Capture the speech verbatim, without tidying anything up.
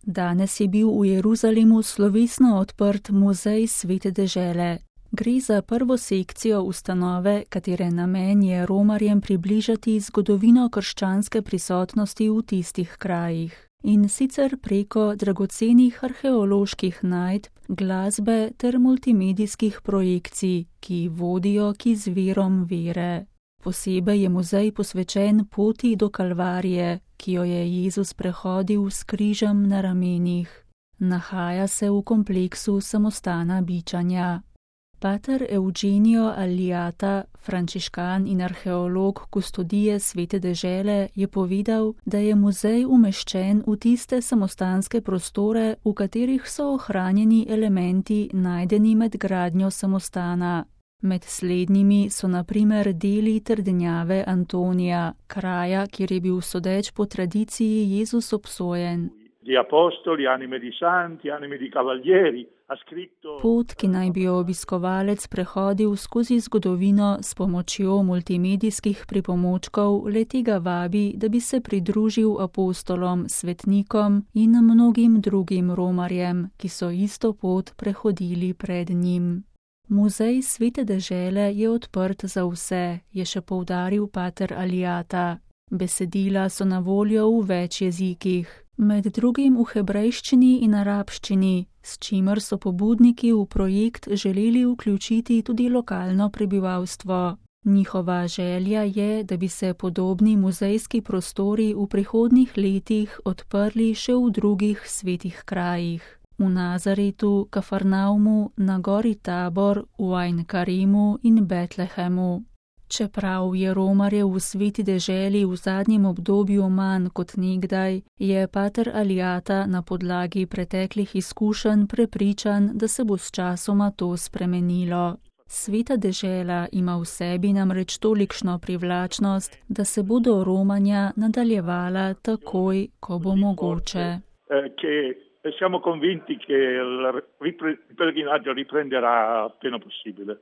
Danes je bil v Jeruzalemu slovesno odprt muzej Svete dežele. Gre za prvo sekcijo ustanove, katere namen je romarjem približati zgodovino krščanske prisotnosti v tistih krajih. In sicer preko dragocenih arheoloških najdb, glasbe ter multimedijskih projekcij, ki vodijo k izvirom vere. Posebej je muzej posvečen poti do Kalvarije, ki jo je Jezus prehodil s križem na ramenih. Nahaja se v kompleksu samostana bičanja. Pater Eugenio Aliata, frančiškan in arheolog kustodije Svete dežele, je povedal, da je muzej umeščen v tiste samostanske prostore, v katerih so ohranjeni elementi najdeni med gradnjo samostana. Med slednjimi so na primer deli trdnjave Antonija, kraja, kjer je bil sodeč po tradiciji Jezus obsojen. Pot, ki naj bi jo obiskovalec prehodil skozi zgodovino s pomočjo multimedijskih pripomočkov, le-tega vabi, da bi se pridružil apostolom, svetnikom in mnogim drugim romarjem, ki so isto pot prehodili pred njim. Muzej Svete dežele je odprt za vse, je še poudaril pater Aliata. Besedila so na voljo v več jezikih, med drugim v hebrejščini in arabščini, s čimer so pobudniki v projekt želeli vključiti tudi lokalno prebivalstvo. Njihova želja je, da bi se podobni muzejski prostori v prihodnjih letih odprli še v drugih svetih krajih. V Nazaretu, Kafarnaumu, na gori Tabor, v Ain Karimu in Betlehemu. Čeprav je romarjev v Sveti deželi v zadnjem obdobju manj kot nekdaj, je pater Aliata na podlagi preteklih izkušenj prepričan, da se bo s časoma to spremenilo. Sveta dežela ima v sebi namreč tolikšno privlačnost, da se bodo romanja nadaljevala takoj, ko bo mogoče. Siamo convinti che il pellegrinaggio riprenderà appena possibile.